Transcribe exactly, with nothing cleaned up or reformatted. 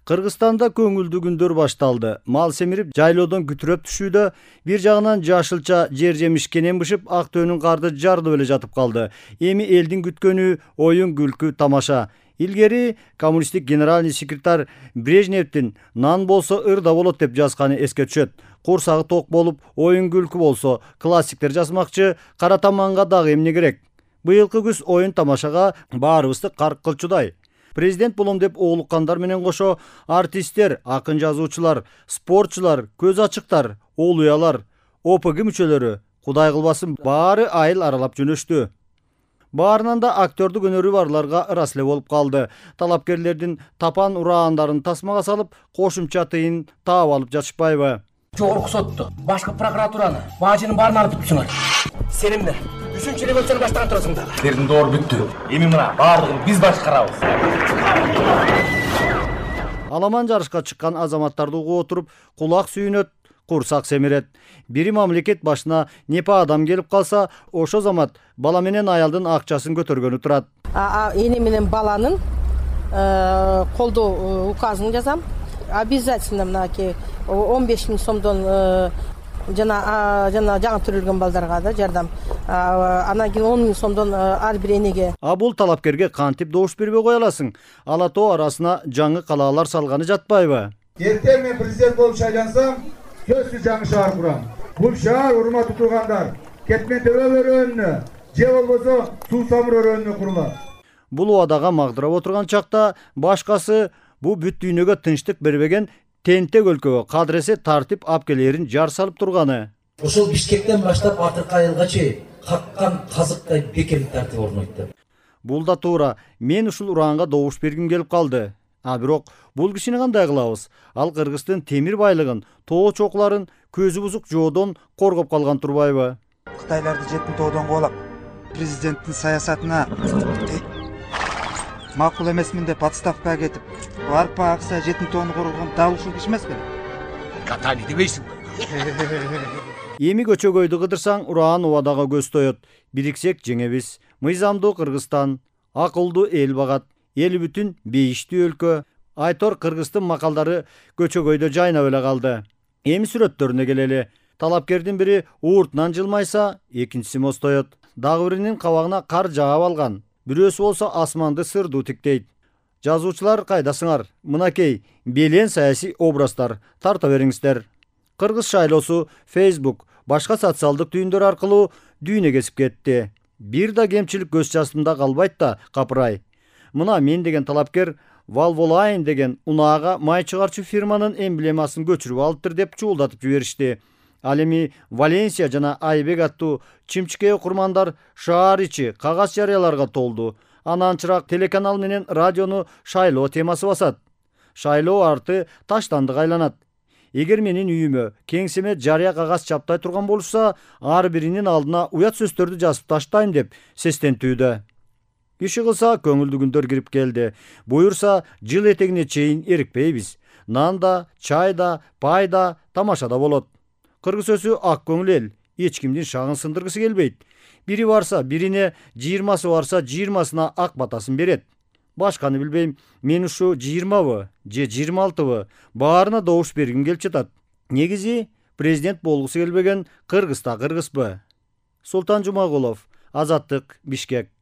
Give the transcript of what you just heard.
Кыргызстанда көңүлдүү күндөр башталды. Мал семирип, жайлоодон күтүрөп түшүүдө, бир жагынан жашылча жер жемиш кенен бышып, ак төөнүн карды жардып эле жатып калды. Эми элдин күткөнү оюн, күлкү, тамаша. Илгери коммунисттик генеральный секретарь Брежневдин нан болсо ырда болот деп жазганы эске түшөт. Курсагы ток болуп, оюн күлкү болсо, классиктер жазмакчы, кара таманга дагы эмне керек? Быйылкы күз оюн тамашага баарыбызды карк кылчудай. Президент болом деп оолуккандар менен кошо артисттер, акын жазуучулар, спортчулар, көз ачыктар, олуялар, О П Г мүчөлөрү, Кудай кылбасын, баары айыл аралап жөнөштү. Баарынан да актёрдук өнөрү барларга ырас эле болуп калды. Талапкерлердин тапан ураандарын тасмага салып, кошумча тыйын таап алып жатышпайбы? Жогорку сотту, башкы прокуратураны, бажынын баарын алып бүттүңөр. Сенемдер үчүнчү революцияны баштаган турасыңдар. Силердин доор бүттү. Эми мына баардыгын биз башкарабыз. Аламан жарышка чыккан азаматтарды угуп отуруп, кулак сүйүнөт, курсак семирет. Бири мамлекет башына непа адам келип калса, ошо замат бала менен аялдын акчасын көтөргөнү турат. Эне менен баланын колдоо указын жазам. Обязательно мынакей он беш миң сомдон жана жана жаңы төрөлгөн балдарга да жардам. Анан кийин он миң сомдон ар бир энеге. А бул талапкерге кантип добуш бербей кое аласың? Ала тоо арасына жаңы калаалар салганы жатпайбы? Эртең мен президент болуп шайлансам, сөзсүз жаңы шаар курам. Бул шаар урматтуу туугандар, Кетмен төбө өрөөнүнө, же болбосо Суу Самыр өрөөнүнө курулат. Бул убадага магдырап отурган чакта башкасы бу бүт дүйнөгө тынчтык бербеген тентек өлкөгө кадыресе тартип алып келерин жар салып турганы. Ошол Бишкектен баштап акыркы айылга чейин каккан казыктай бекем тартип орнойтты. Бул да туура. Мен ушул ураанга добуш бергим келип калды. А бирок бул кишини кандай кылабыз? Ал Кыргыздын темир байлыгын, тоо чокларын көзү бузук жоодон коргоп калган турбайбы? Кытайларды жетин тоодон кубалап, президенттин саясатына макул эмесмин деп отставкага кетип, арпа акса жетин тоону коргогон дал ушул киши эмеспи? Катани дебейсиң. Эми көчөгөйдү кыдырсаң, ураан убадага көз тоет. Бириксек жеңебиз. Мыйзамдуу Кыргызстан, акылдуу эл багат, эли бүтүн бейиштүү өлкө. Айтор Кыргыздын макалдары көчөгөйдө жайнап эле калды. Эми сүрөттөрүнө келели. Талапкердин бири ууртунан жылмайса, экинчиси мостоет. Дагы биринин кабагына кар жаап алган. Бирөөсү болсо асманды сырдуу тиктейт. Жазуучулар кайдасыңар? Мынакей белен саясий образдар тарта бериңиздер. Кыргыз шайлоосу Facebook, башка социалдык түйүндөр аркылуу дүйнө кесип кетти. Бир да кемчилик көз жашымда калбайт да, капырай. Мына мен деген талапкер Valvoline деген унаага май чыгарчу фирманын эмблемасын көчүрүп алыптыр деп чуулдатып жиберишти. Ал эми Валенсия жана Айбек аттуу чимчикей окурмандар шаар ичи кагаз жарыяларга толду. Ананчыраак телеканал менен радиону шайлоо темасы басат. Шайлоо арты таштандык айланат. Эгер менин үйүмө кеңсеме жарыя кагаз чаптай турган болушса, ар биринин алдына уят сөздөрдү жазып таштайм деп сестентүүдө. Киши кылса көңүлдүү күндөр кирип келди. Буюрса жыл этегине чейин эрикпейбиз. Нанда, чайда, пайда, тамашада болот. Кыргыз өсү ак көңүл эл, эч кимдин шагын сындыргысы келбейт. Бири барса, бирине, жыйырмасы барса, жыйырмасына ак батасын берет. Башканы билбейм, мен ушу жыйырмабы, же жыйырма алтыбы, баарына добуш бергим келип жатат. Негизи президент болгусу келбеген Кыргызда кыргызбы? Султан Жумагулов, Азаттык, Бишкек.